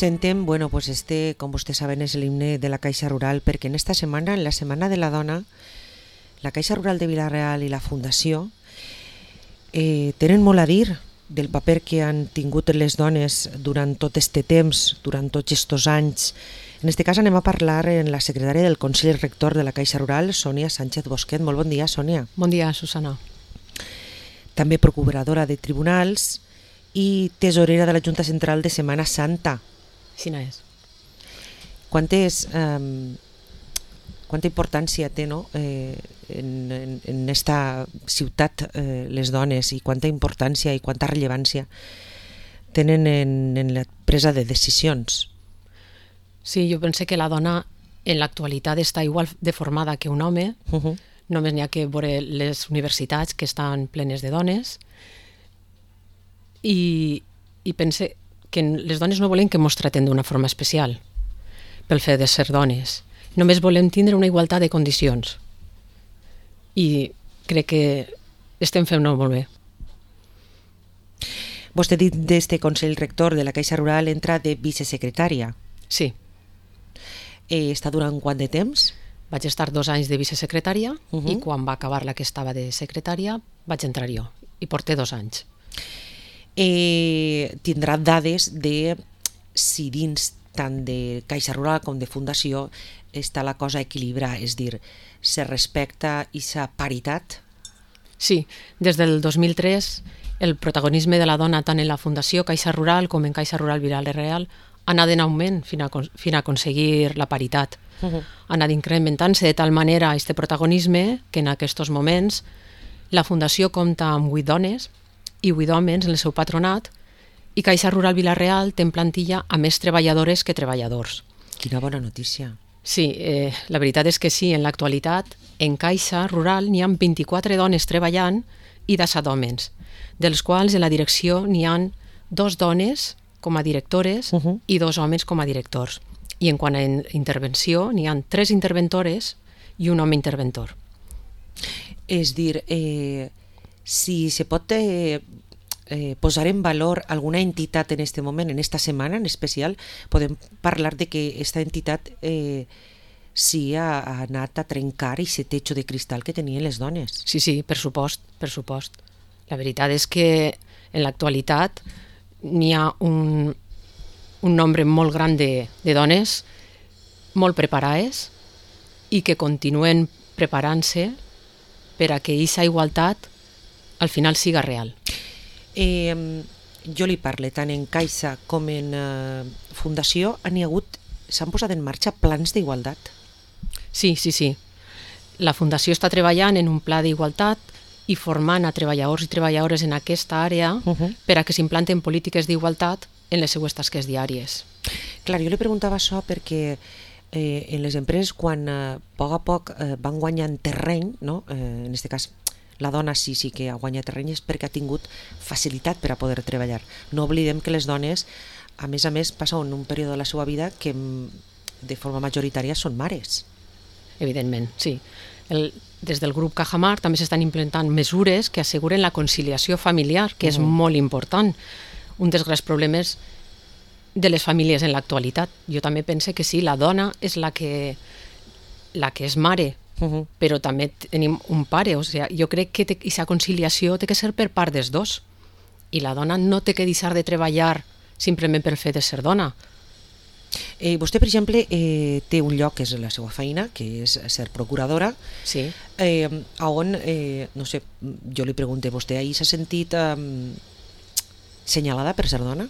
presentem, bueno, pues com vostès saben, és l'himne de la Caixa Rural, perquè en esta setmana, en la Setmana de la Dona, la Caixa Rural de Vila-real i la Fundació tenen molt a dir del paper que han tingut les dones durant tot este temps, durant tots estos anys. En este cas anem a parlar amb la secretària del Consell Rector de la Caixa Rural, Sònia Sánchez Bosquet. Molt bon dia, Sònia. Bon dia, Susana. També procuradora de tribunals i tesorera de la Junta Central de Setmana Santa. Quina és? Quanta importància té, no? en esta ciutat les dones, i quanta importància i quanta rellevància tenen en la presa de decisions? Sí, jo penso que la dona en l'actualitat està igual de formada que un home. Només n'hi ha que veure les universitats que estan plenes de dones, i pense que les dones no volem que ens traten d'una forma especial pel fet de ser dones. Només volem tindre una igualtat de condicions, i crec que estem fent-ho molt bé. Vostè dit d'este Consell Rector de la Caixa Rural entra de vicesecretària. Sí. Està durant quant de temps? Vaig estar 2 anys de vicesecretària i quan va acabar la que estava de secretària vaig entrar jo, i porté 2 anys. Tindrà dades de si dins tant de Caixa Rural com de Fundació està la cosa equilibrada, és dir, se respecta aquesta paritat? Sí, des del 2003 el protagonisme de la dona tant en la Fundació Caixa Rural com en Caixa Rural Vila-real ha anat en augment fins a aconseguir la paritat. Ha anat incrementant-se de tal manera aquest protagonisme que en aquests moments la Fundació compta amb 8 dones i 8 homes en el seu patronat, i Caixa Rural Vila-real té en plantilla a més treballadores que treballadors. Quina bona notícia. Sí, la veritat és que sí, en l'actualitat en Caixa Rural n'hi ha 24 dones treballant i 17 homes, dels quals en la direcció n'hi ha 2 dones com a directores i 2 homes com a directors. I en quant a intervenció n'hi ha 3 interventores i un home interventor. És dir, si se pot posar en valor alguna entitat en este moment, en esta setmana en especial, podem parlar de que aquesta entitat sí ha anat a trencar aquest techo de cristal que tenien les dones. Sí, per supost. La veritat és que en l'actualitat n'hi ha un nombre molt gran de dones molt preparades i que continuen preparant-se per a que aquesta igualtat al final siga real. Jo li parlo tant en Caixa com en Fundació. S'han posat en marxa plans d'igualtat? Sí. La Fundació està treballant en un pla d'igualtat i formant a treballadors i treballadores en aquesta àrea per a que s'implanten polítiques d'igualtat en les seues tasques diàries. Clar, jo li preguntava això perquè en les empreses, quan a poc van guanyant terreny, no? En aquest cas la dona sí que ha guanyat terreny, és perquè ha tingut facilitat per a poder treballar. No oblidem que les dones, a més, passen un període de la seva vida que de forma majoritària són mares. Evidentment, sí. Des del grup Cajamar també s'estan implementant mesures que asseguren la conciliació familiar, que és molt important. Un dels grans problemes de les famílies en l'actualitat. Jo també penso que sí, la dona és la que és mare, però també tenim un pare. O sigui, jo crec que aquesta conciliació té que ser per part dels dos, i la dona no té que deixar de treballar simplement per fer de ser dona. Vostè, per exemple, té un lloc que és la seva feina, que és ser procuradora. Sí. On, no sé, jo li pregunto, vostè ahir s'ha sentit senyalada per ser dona?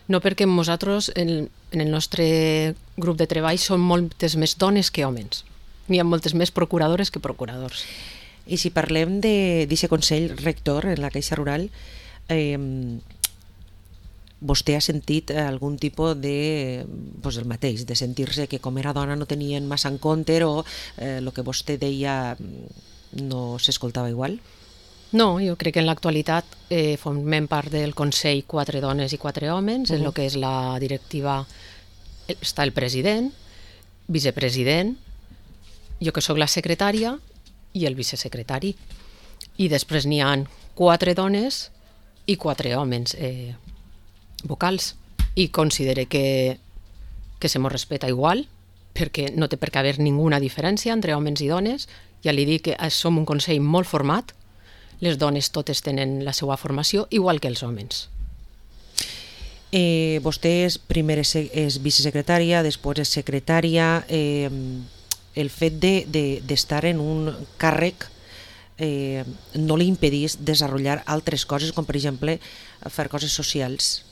No, perquè nosaltres en el nostre grup de treball són moltes més dones que homes. N'hi ha moltes més procuradores que procuradors. I si parlem d'aquest Consell Rector en la Caixa Rural, vostè ha sentit algun tipus del mateix, de sentir-se que com era dona no tenien massa en compte, o el que vostè deia no s'escoltava igual? No, jo crec que en l'actualitat formem part del Consell 4 dones i 4 homes. En el que és la directiva està el president, vicepresident, jo que sóc la secretària i el vicesecretari. I després n'hi ha 4 dones i 4 homes vocals. i considere que se mos respecta igual, perquè no té per què haver ninguna diferència entre homes i dones. Ja li dic que som un consell molt format, les dones totes tenen la seva formació, igual que els homes. Vostè primer és vicesecretària, després és secretària. El fet d'estar en un càrrec no li impedís desenvolupar altres coses, com per exemple fer coses socials,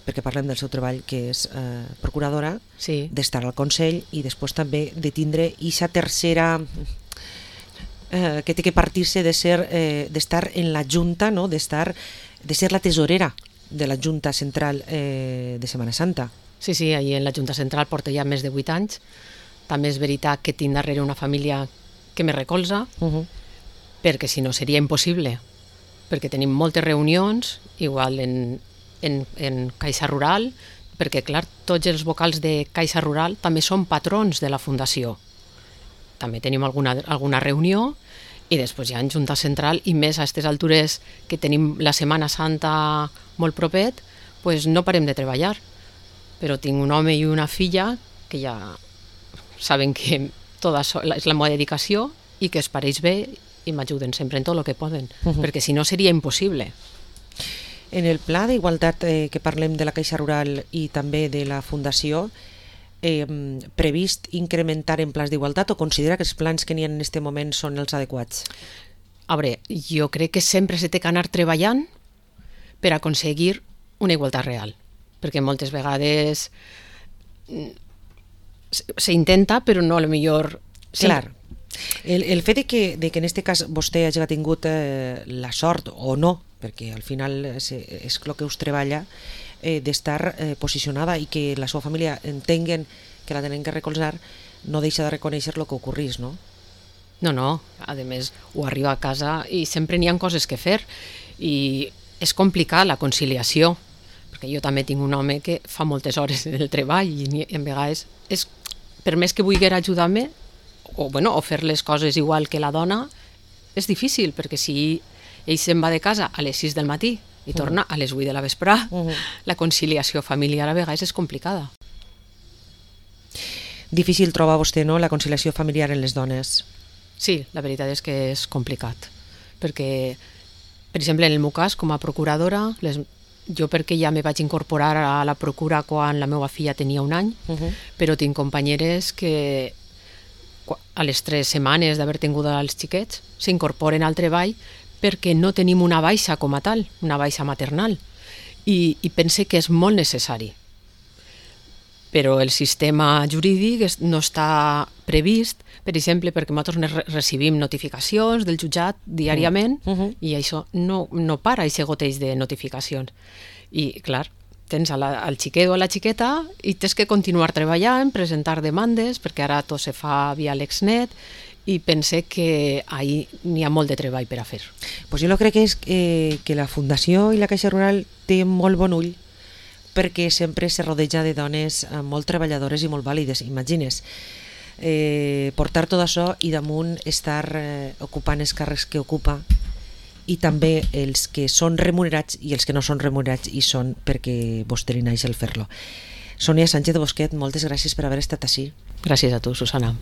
perquè parlem del seu treball, que és procuradora, Sí. d'estar al Consell i després també de tindre aquesta tercera que té que partir-se d'estar en la Junta, no? de ser la tesorera de la Junta Central de Setmana Santa. Sí, sí, allí en la Junta Central porto ja més de 8 anys. També és veritat que tinc darrere una família que me recolza, perquè si no seria impossible, perquè tenim moltes reunions, igual en Caixa Rural, perquè clar, tots els vocals de Caixa Rural també són patrons de la Fundació. També tenim alguna reunió i després ja en Junta Central, i més a aquestes altures que tenim la Setmana Santa molt propet, pues no parem de treballar. Però tinc un home i una filla que ja saben que tota és la meva dedicació i que es pareix bé i m'ajuden sempre en tot el que poden, perquè si no seria impossible. En el pla d'igualtat que parlem de la Caixa Rural i també de la Fundació, previst incrementar en plans d'igualtat o considera que els plans que n'hi ha en aquest moment són els adequats? A veure, jo crec que sempre s'ha d'anar treballant per aconseguir una igualtat real, perquè moltes vegades s'intenta, però no a lo millor... Clar. El fet de que en aquest cas vostè hagi tingut la sort o no, perquè al final és el que us treballa, d'estar posicionada i que la seva família entenguen que la tenen que recolzar, no deixa de reconèixer el que ocorrís, no? No, a més ho arriba a casa i sempre n'hi ha coses que fer i és complicat la conciliació, perquè jo també tinc un home que fa moltes hores del treball i en vegades per més que vulgui ajudar-me o fer les coses igual que la dona, és difícil, perquè si ell se'n va de casa a les 6 del matí i torna a les 8 de la vesprada, la conciliació familiar a vegades és complicada. Difícil troba vostè, no?, la conciliació familiar en les dones. Sí, la veritat és que és complicat, perquè, per exemple, en el meu cas, com a procuradora, jo perquè ja me vaig incorporar a la procura quan la meva filla tenia 1 any, però tinc companyeres que a les 3 setmanes d'haver tingut els xiquets s'incorporen al treball perquè no tenim una baixa com a tal, una baixa maternal, i pense que és molt necessari. Però el sistema jurídic no està previst, per exemple, perquè nosaltres recibim notificacions del jutjat diàriament i això no para, aquest goteig de notificacions. I, clar, tens el xiquet o la xiqueta i tens que continuar treballant, presentar demandes, perquè ara tot se fa via l'Exnet, i pense que ahí n'hi ha molt de treball per a fer. Pues jo crec que la Fundació i la Caixa Rural té molt bon ull, perquè sempre se rodeja de dones molt treballadores i molt vàlides. Imagines portar tot això i damunt estar ocupant els càrrecs que ocupa, i també els que són remunerats i els que no són remunerats i són perquè vostè li naix el fer-lo. Sònia Sánchez Bosquet, moltes gràcies per haver estat així. Gràcies a tu, Susana.